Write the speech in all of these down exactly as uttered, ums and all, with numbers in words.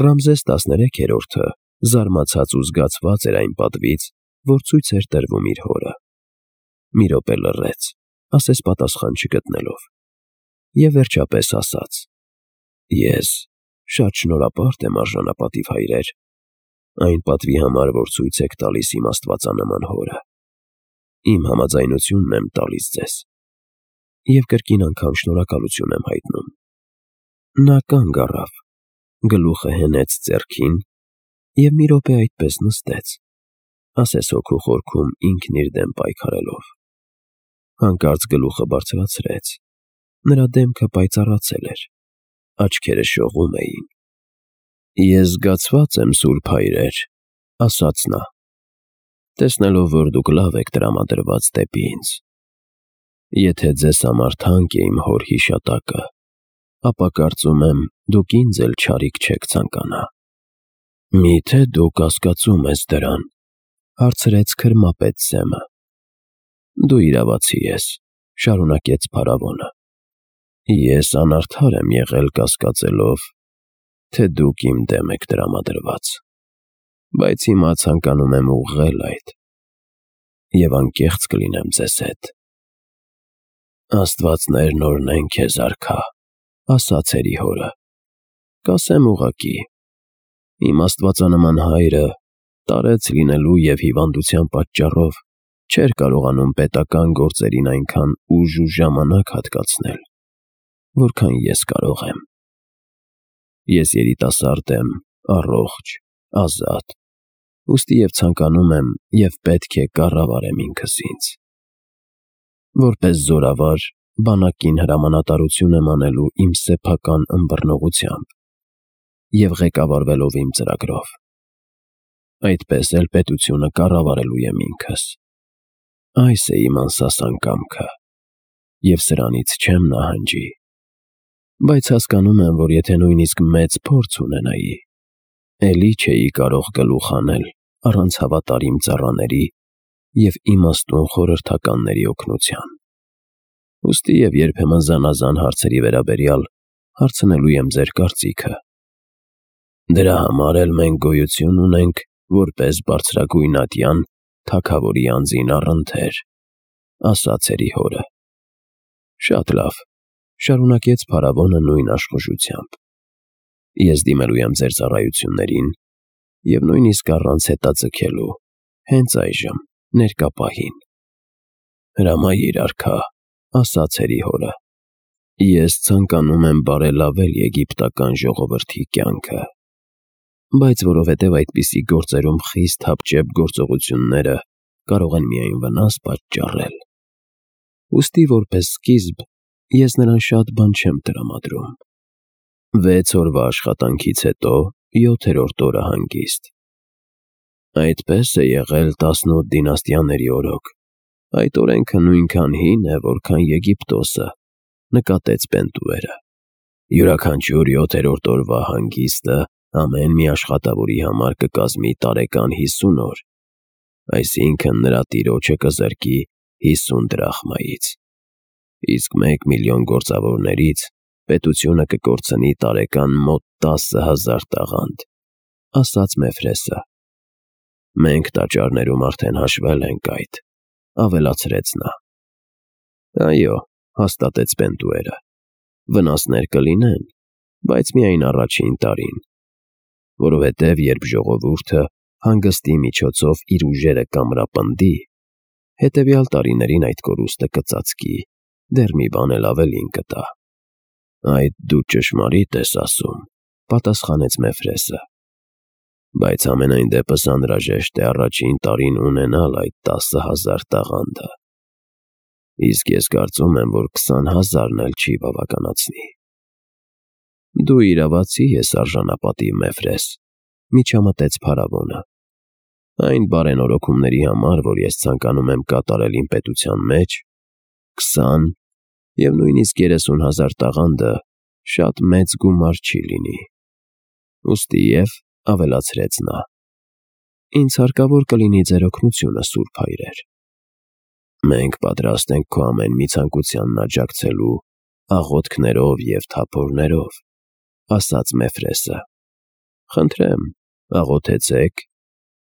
Ռամզես տասներեքերորդը զարմացած ու զգացված էր այն պատվից, որ ցույց էր տրվում իր հորը։ Մի րոպե լռեց, ասես պատասխան չգտնելով, և վերջապես ասաց. «Ես շատ շնորհապարտ եմ, արժանապատիվ հայրեր, այն պատվի համար, որ ցույց եք տալիս իմ աստվածանման հորը։ Իմ համաձայնությունն եմ տալիս ձեզ և կրկին անգամ շնորհակալություն եմ հայտնում»։ Նա կանգ առավ, գլուխը հենեց ձեռքին և մի րոպե այդպես նստեց, ասես հոգու խորքում ինքն իր դեմ պայքարելով։ Հանկարծ գլուխը բարձրացրեց, նրա դեմքը պայծառացել էր, աչքերը շողում էին։ «Ես զգացված եմ, սուրբ հայրեր», ֊ ասաց նա, «տեսնելով, որ դուք լավ եք տրամադրված դեպի ինձ։ Եթե ձեզ համար թանկ է իմ հոր հիշատակը, ապա կարծում եմ, դուք ինձ էլ չարիք չեք ցանկանա»։ «Մի՞թե դու կասկածում ես դրան», ֊ հարցրեց քրմապետ Սեմը։ «Դու իրավացի ես», ֊ շարունակեց փարավոնը։ «Ես անարդար եմ եղել կասկածելով, թե դուք իմ դեմ եք տրամադրված, բայց հիմա ցանկանում եմ ուղղել այդ և անկեղծ կլինեմ ձեզ հետ»։ «Աստվածներն օրհնեն քեզ, արքա», ֊ ասաց հորը։ «Կասեմ ուղղակի, իմ աստվածանման հայրը տարեց լինելու և հիվանդության պատճառով չէր կարողանում պետական գործերին այնքան ուժ ու ժամանակ հատկացնել, որքան ես կարող եմ։ Ես երիտասարդ եմ, առողջ, ազատ, ուստի և ցանկանում եմ և պետք է կառավարեմ ինքս ինձ։ Որպես զորավար բանակին հրամանատարություն եմ անելու իմ սեփական ըմբռնողությամբ և ղեկավարվելով իմ ծրագրով։ Այդպես էլ պետությունը կառավարելու եմ ինքս։ Այս է իմ անսասան կամքը, և սրանից չեմ նահանջի։ Բայց հասկանում եմ, որ եթե նույնիսկ մեծ փորձ ունենայի, էլի չէի կարող գլուխ հանել առանց հավատարիմ ծառաների և իմաստուն խորհրդականների օգնության։ Ուստի և երբեմն զանազան հարցերի վերաբերյալ հարցնելու եմ ձեր կարծիքը։ Դրա համար էլ մենք գոյություն ունենք որպես բարձրագույն ատյան թագավորի անձին առընթեր», ֊ ասաց հորը։ «Շատ լավ», ֊ շարունակեց փարավոնը նույն աշխուժությամբ։ «Ես դիմելու եմ ձեր ծառայություններին և նույնիսկ առանց հետաձգելու, հենց այժմ, ներկա պահին»։ «Հրամայիր, արքա», ֊ ասաց հորը։ «Ես ցանկանում եմ բարելավել եգիպտական ժողովրդի կյանքը, բայց որովհետև այդպիսի գործերում խիստ հապճեպ գործողությունները կարող են միայն վնաս պատճառել, ուստի որպես սկիզբ ես նրան շատ բան չեմ տրամադրում։ Վեց օրվա աշխատանքից հետո յոթերորդ օրը հանգիստ»։ «Այդպես է եղել տասնութ դինաստիաների օրոք, այդ օրենքը նույնքան հին է, որքան Եգիպտոսը», ֊ նկատեց Պենտուերը։ «Յուրաքանչյուր յոթերորդ օրվա հանգիստը ամեն մի աշխատավորի համար կկազմի տարեկան հիսուն օր, այսինքն՝ նրա տիրոջը կզրկի հիսուն դրախմայից, իսկ մեկ միլիոն գործավորներից պետությունը կկորցնի տարեկան մոտ տասը հազար տաղանդ», ֊ ասաց Մեֆրեսը։ «Մենք տաճարներում արդեն հաշվել ենք այդ», ֊ ավելացրեց նա։ «Այո», ֊ հաստատեց Պենտուերը, «վնասներ կլինեն, բայց միայն առաջին տարին, որովհետև երբ ժողովուրդը հանգստի միջոցով իր ուժերը կամրապնդի, հետևյալ տարիներին այդ կորուստը կծածկի, դեռ մի բան էլ ավելին կտա»։ «Այդ դու ճշմարիտ ես ասում», ֊ պատասխանեց Մեֆրեսը, «բայց համենայն դեպս անհրաժեշտ է առաջին տարին ունենալ այդ տասը հազար տաղանդը, իսկ ես կարծում եմ, որ քսան հազարն էլ չի բավականացնի»։ «Դու իրավացի ես, արժանապատիվ Մեֆրես», ֊ միջամտեց փարավոնը։ «Այն բարենորոգումների համար, որ ես ցանկանում եմ կատարել իմ պետության մեջ, քսան և նույնիսկ երեսուն հազար տաղանդը շատ մեծ գումար չի լինի։ Ուստի և», ֊ ավելացրեց նա, «ինձ հարկավոր կլինի ձեր օգնությունը, սուրբ հայրեր»։ «Մենք պատրաստ ենք քո ամեն մի ցանկությանն աջակցելու աղոթքներով և թափորներով», ֊ ասաց Մեֆրեսը։ Խնդրեմ, աղոթեցեք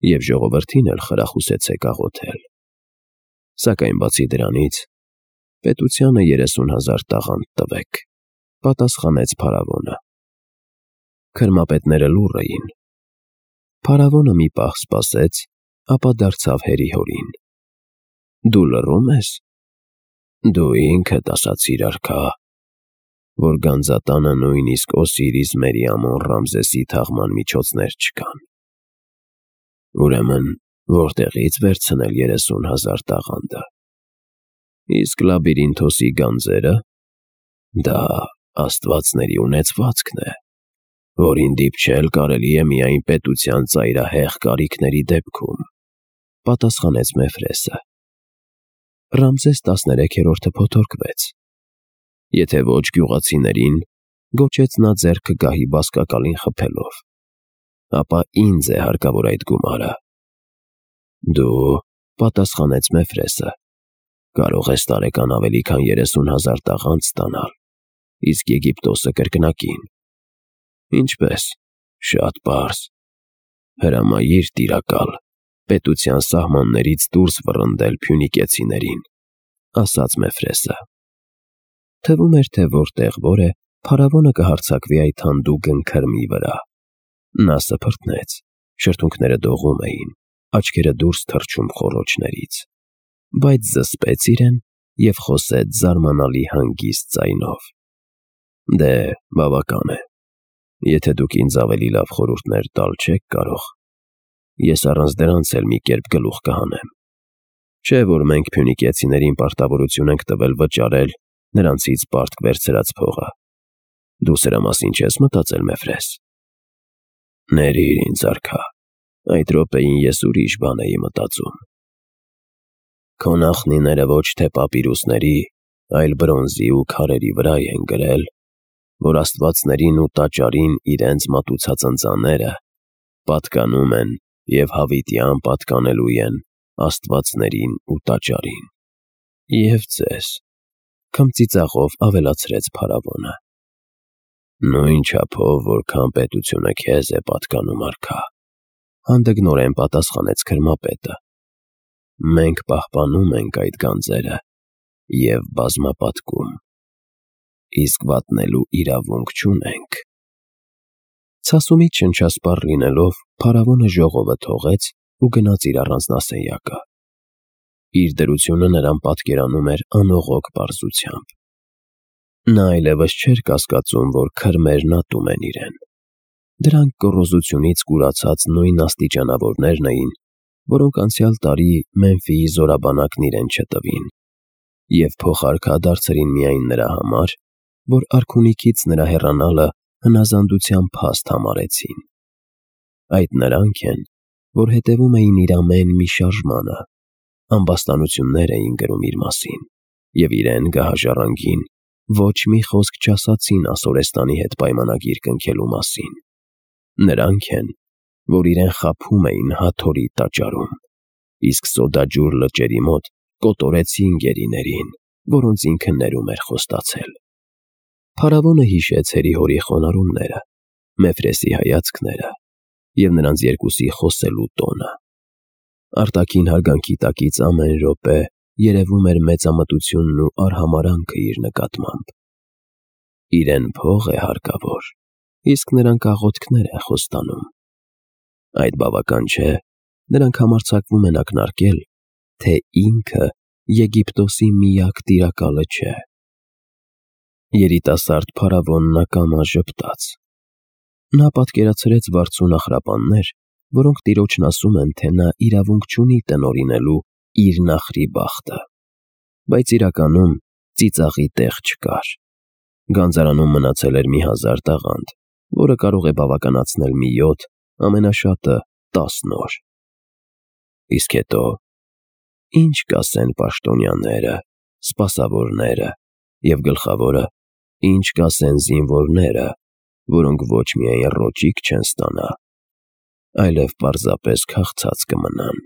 և ժողովրդին էլ խրախուսեցեք աղոթել։ Սակայն բացի դրանից, պետությանը երեսուն հազար տաղանդ տվեք, պատասխանեց փարավոնը։ Քրմապետները լուռ էին։ Փարավոնը մի պահ սպասեց, ապա դարձավ հերի-հորին. Դու լռում ես։ Դու ինքդ ասացիր, արքա, որ գանձատանը նույնիսկ Օսիրիս Մերիամոն Ռամզեսի թաղման միջոցներ չկան։ Ուրեմն որտեղի՞ց վերցնել երեսուն հազար տաղանդը։ Իսկ Լաբիրինթոսի գանձերը, դա աստվածների ունեցվածքն է, որին դիպչել կարելի է միայն պետության ծայրահեղ կարիքների դեպքում, պատասխանեց Մեֆրեսը։ Ռամզես տասներեքերորդը փոթորկվեց։ Եթե ոչ գյուղացիներին, գոչեց նա ձեռքը գահի բազկակալին խփելով, ապա ինձ է հարկավոր այդ գումարը։ Դու, պատասխանեց Մեֆրեսը, կարող ես տարեկան ավելի քան երեսուն հազար տաղանդ ստանալ, իսկ Եգիպտոսը կրկնակին։ Ինչպես, շատ պարզ։ Հրամայիր տիրակալ, պետության սահմաններից դուրս վռնդել փյունիկեցիներին, ասաց Մեֆրեսը։ Թվում էր, թե որտեղ որ է, փարավոնը կհարձակվի այդ հանդուգն քրմի վրա։ Նա սփռտնեց, շրթունքները դողում էին, աչքերը դուրս թռչում խոռոչներից, բայց զսպեց իրեն և խոսեց զարմանալի հանգիստ ձայնով. Դե, բավական է։ Եթե դուք ինձ ավելի լավ խորհուրդներ տալ չեք կարող, ես առանց դրանց էլ մի կերպ գլուխ կհանեմ։ Չէ՞ որ մենք փյունիկեցիներին պարտավորություն ենք տվել վճարել նրանցից պարտք վերցրած փողը։ Դու սրա մասին չես մտածել, Մեֆրես։ Ներիր ինձ, արքա, այդ րոպեին ես ուրիշ բան էի մտածում։ Քո նախնիները ոչ թե պապիրուսների, այլ բրոնզի ու քարերի վրա են գրել, որ աստվածներին ու տաճարին իրենց մատուցած ընծաները պատկանում են և հավիտյան պատկանելու են աստվածներին ու տաճարին։ Եվ ձեզ, քմծիծաղով ավելացրեց փարավոնը։ Նույն չափով, որքան պետությունը քեզ է պատկանում, արքա, հանդգնորեն պատասխանեց քրմապետը։ Մենք պահպանում ենք այդ գանձերը և բազմապատկում, իսկ վատնելու իրավունք չունենք։ Ցասումից շնչասպառ լինելով, փարավոնը ժողովը թողեց ու գնաց իր առանձնասենյակը։ Իր դրությունը նրան պատկերանում էր անողոք պարզությամբ։ Նա այլևս չէր կասկածում, որ քրմերն ատում են իրեն։ Դրանք գոռոզությունից կուրացած նույն աստիճանավորներն էին, որոնք անցյալ տարի Մեմֆիի զորաբանակն իրեն չտվին, և փոխարքա դարձրին միայն նրա համար, որ արքունիքից նրա հեռանալը հնազանդության փաստ համարեցին։ Այդ նրանք են, որ հետևում էին իր ամեն մի շարժմանը, ամբաստանություններ էին գրում իր մասին, և իրեն գահաժառանգին ոչ մի խոսք չասացին Ասորեստանի հետ պայմանագիր կնքելու մասին։ Նրանք են, որ իրեն խաբում էին Հաթորի տաճարում, իսկ Սոդաջուր լճերի մոտ կոտորեցին գերիներին, որոնց ինքը ներում էր խոստացել։ Փարավոնը հիշեց հերի-հորի խոնարհումները, Մեֆրեսի հայացքները և նրանց երկուսի խոսելու տոնը։ Արտաքին հարգանքի տակից ամեն րոպե երևում էր մեծամտությունն ու արհամարհանքը իր նկատմամբ։ Իրեն փող է հարկավոր, իսկ նրանք աղոթքներ են խոստանում։ Այդ բավական չէ, նրանք համարձակվում են ակնարկել, թե ինքը Եգիպտոսի միակ տիրակալը չէ։ Երիտասարդ փարավոնն ակամա ժպտաց։ Նա պատկերացրեց վարձու նախրապաններ, որոնք տիրոջն ասում են, թե նա իրավունք չունի տնօրինելու իր նախրի բախտը։ Բայց իրականում ծիծաղի տեղ չկար։ Գանձարանում մնացել էր մի հազար տաղանդ, որը կարող է բավականացնել մի յոթ, ամենաշատը տասն օր։ Իսկ հետո, ի՞նչ կասեն պաշտոնյաները, սպասավորները և գլխավորը, ի՞նչ կասեն զինվորները, որոնք ոչ միայն ռոճիկ չեն ստանա, այլև պարզապես քաղցած կմնան։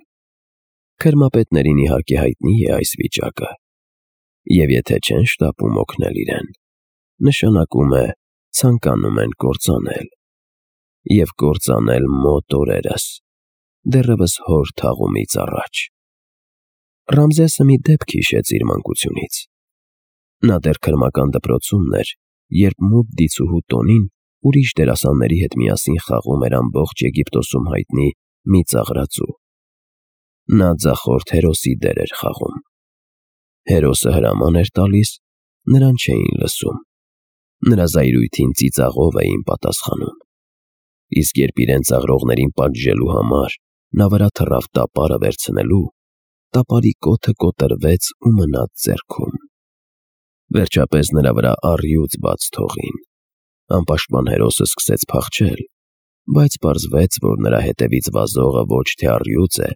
Քրմապետներին իհարկե հայտնի է այս վիճակը, և եթե չեն շտապում օգնել իրեն, նշանակում է ցանկանում են կործանել։ և կործանել մոտ օրերս, դեռևս հոր թաղումից առաջ։ Ռամզեսը մի դեպք հիշեց իր մանկությունից։ Նա դեռ քրմական դպրոցումն էր, երբ մութ դիցուհու տոնին ուրիշ դերասանների հետ միասին խաղում էր ամբողջ Եգիպտոսում հայտնի մի ծաղրածու։ Նա ձախորդ հերոսի դեր էր խաղում։ Հերոսը հրաման էր տալիս, նրան չէին լսում։ Նրա զայրույթին ծիծաղով էին պատասխանում։ Իսկ երբ իրեն ծաղրողներին պատժելու համար նա վրա թռավ տապարը վերցնելու, տապարի կոթը կոտրվեց ու մնաց ձեռքում։ Վերջապես նրա վրա առյուծ բաց թողին։ Անպաշտպան հերոսը սկսեց փախչել, բայց պարզվեց, որ նրա հետևից վազողը ոչ թե առյուծ է,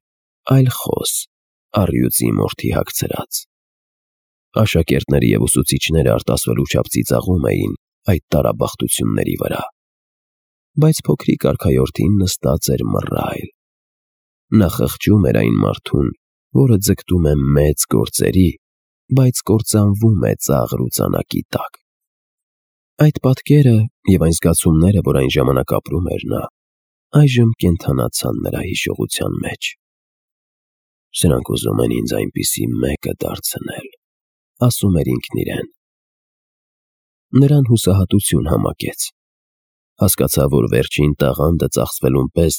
այլ խոս, առյուծի մորթի հագցրած։ Աշակերտները և ուսուցիչները արտասվելու չափ ծիծաղում էին այդ տարաբախտությունների վրա։ Բայց փոքրիկ արքայորդին նստած էր մռայլ։ Նա խղճում էր այն մարդուն, որը ձգտում է մեծ գործերի, բայց կործանվում է ծաղր ու ծանակի տակ։ Այդ պատկերը և այն զգացումները, որ այն ժամանակ ապրում էր նա, այժմ կենդանացան նրա հիշողության մեջ։ «Սրանք ուզում են ինձ այնպիսի մեկը դարձնել», ասում էր ինքն իրեն։ Նրան հուսահատություն համակեց։ Հասկացավ, որ վերջին տաղանդը ծախսվելուն պես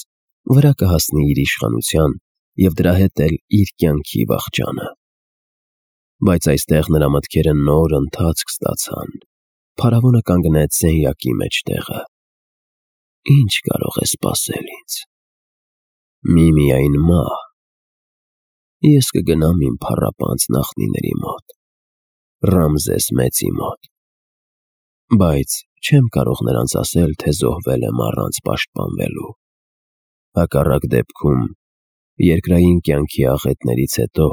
վրա կհասնի իր իշխանության և դրա հետ էլ իր կյանքի վախճանը։ Բայց այստեղ նրա մտքերը նոր ընթացք ստացան։ Փարավոնը կանգնեց սենյակի մեջտեղը։ «Ի՞նչ կարող է սպասել ինձ։ Միմիայն մահ։ Ես կգնամ իմ փառապանծ նախնիների մոտ, Ռամզես մեծի մոտ, բայց չեմ կարող նրանց ասել, թե զոհվել եմ առանց պաշտպանվելու։ Հակառակ դեպքում երկրային կյանքի աղետներից հետո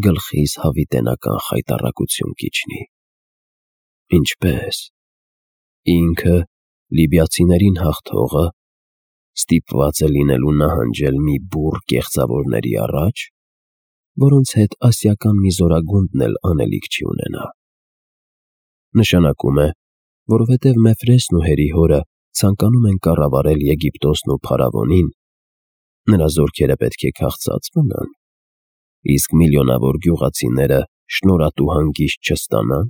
գլխիս հավիտենական խայտառակություն կիջնի։ Ինչպե՞ս։ Ինքը, լիբիացիներին հաղթողը, ստիպված է լինելու նահանջել մի բուռ կեղծավորների առաջ, որոնց հետ ասիական մի զորագունդն էլ անելիք չի ունենա։ Նշանակում է, որովհետև Մեֆրեսն ու Հերիհորը ցանկանում են կառավարել Եգիպտոսն ու փարավոնին, նրա զորքերը պետք է քաղցած մնան, իսկ միլիոնավոր գյուղացիները շնորհատու հանգիստ չստանան։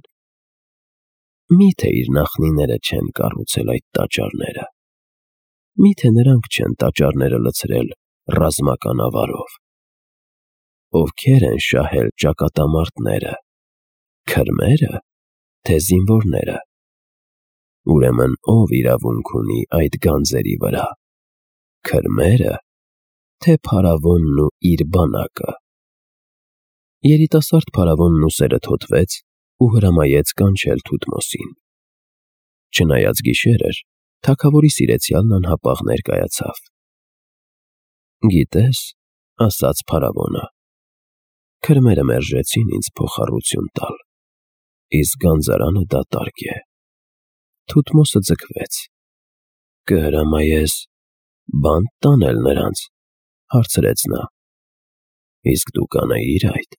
Մի՞թե իր նախնիները չեն կառուցել այդ տաճարները։ Մի՞թե նրանք չեն տաճարները լցրել ռազմական ավարով։ Ովքեր են շահել ճակատամարտները՝ քրմե՞րը, թե զինվորները։ Ուրեմն ո՞վ իրավունք ունի այդ գանձերի վրա՝ քրմե՞ರը, թե փարավոնն ու իր բանակը։ Երիտասարդ փարավոնն ուսերը թոթվեց ու հրամայեց կանչել Թութմոսին։ Չնայած գիշեր էր, թագավորի սիրեցյալն անհապաղ ներկայացավ։ «Գիտես», ասաց փարավոնը, «քրմերը մերժեցին ինձ փոխառություն տալ, իսկ գանձարանը դատարկ է»։ Թութմոսը ձգվեց։ «Կհրամայես բանտ տանել նրանց», հարցրեց նա։ «Իսկ դու կանեիր այդ»։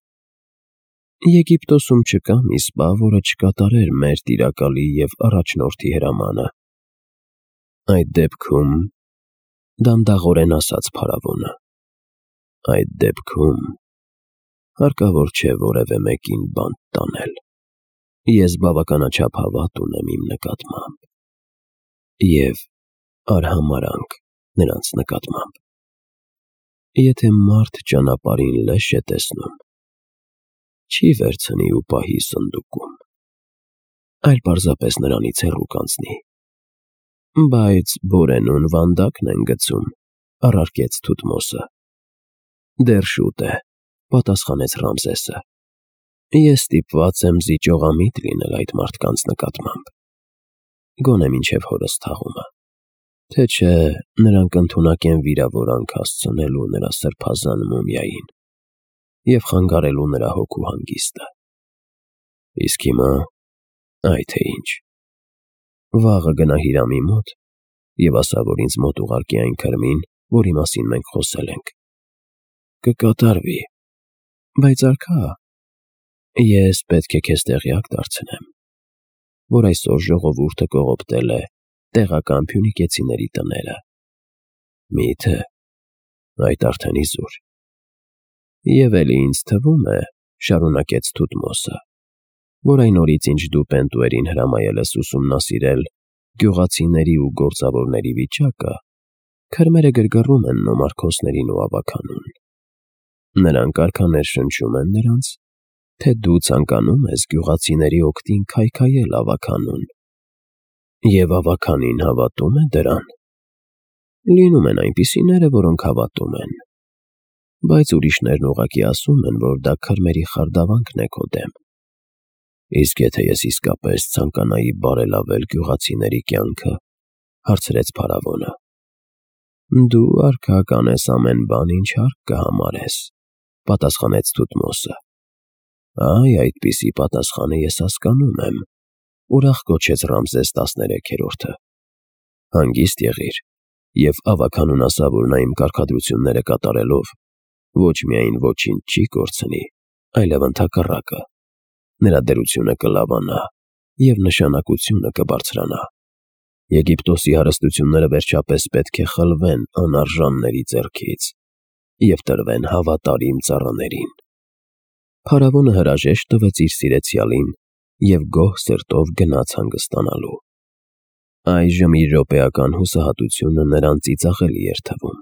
Եգիպտոսում չկա մի սպա, որը չկատարեր մեր տիրակալի և առաջնորդի հրամանը։ Այդ դեպքում, դանդաղորեն ասաց փարավոնը, այդ դեպքում հարկավոր չէ որևէ մեկին բանտ տանել։ Ես բավականաչափ հավատ ունեմ իմ նկատմամբ և արհամարհանք նրանց նկատմամբ։ Եթե մարդ ճանապարհին լեշ է տեսնում, չի վերցնի ու պահի սնդուկում, այլ պարզապես նրանից հեռու կանցնի։ Բայց բորենուն վանդակն են գցում, առարկեց Թութմոսը։ Դեռ շուտ է, պատասխանեց Ռամզեսը։ Ես ստիպված եմ զիջողամիտ լինել այդ մարդկանց նկատմամբ, գոնե մինչև հորս թաղումը, թե չէ նրանք ընդունակ են վիրավորանք հասցնելու նրա սրբազան մումիային և խանգարելու նրա հոգու հանգիստը։ Իսկ հիմա, այ թե ինչ, վաղը գնա Հիրամի մոտ և ասա, որ ինձ մոտ ուղարկի այն քրմին, որի մասին մենք խոսել ենք։ Կկատարվի։ Բայց արքա, ես պետք է քեզ տեղյակ դարձնեմ, որ այսօր ժողովուրդը կողոպտել է տեղական փյունիկեցիների տները։ Մի՞թե այդ արդեն իզուր։ Եվ էլի ինձ թվում է, շարունակեց Թութմոսը, որ այն օրից ինչ դու Պենտուերին հրամայել ես ուսումնասիրել գյուղացիների ու գործավորների վիճակը, քրմերը գրգռում են նոմարքոսներին ու ավագանուն։ Նրանք արքաներ շնչում են նրանց, թե դու ցանկանում ես գյուղացիների օգտին քայքայել ավագանուն։ Եվ ավագանին հավատում է դրան։ Լինում են այնպիսիները, որոնք հավատում են, բայց ուրիշներն ուղղակի ասում են, որ դա քրմերի խարդավանքն է քո դեմ։ Իսկ եթե ես իսկապես ցանկանայի բարելավել գյուղացիների կյանքը, հարցրեց փարավոնը։ Դու արքա կանես ամեն բան, ինչ հարկ կհամարես, պատասխանեց Թութմոսը։ Այ այդպիսի պատասխանը ես հասկանում եմ, ուրախ գոչեց Ռամզես տասներեքերորդը։ Հանգիստ եղիր և ավագանուն ասա, որ նա իմ կարգադրությունները կատարելով ոչ միայն ոչինչ չի կորցնի, այլև ընդհակառակը, նրա դրությունը կլավանա և նշանակությունը կբարձրանա։ Եգիպտոսի հարստությունները վերջապես պետք է խլվեն անարժանների ձեռքից և տրվեն հավատարիմ ծառաներին։ Փարավոնը հրաժեշտ տվեց իր սիրեցյալին և գոհ սրտով գնաց հանգստանալու։ Այժմ իր րոպեական հուսահատությունը նրան ծիծաղելի էր թվում։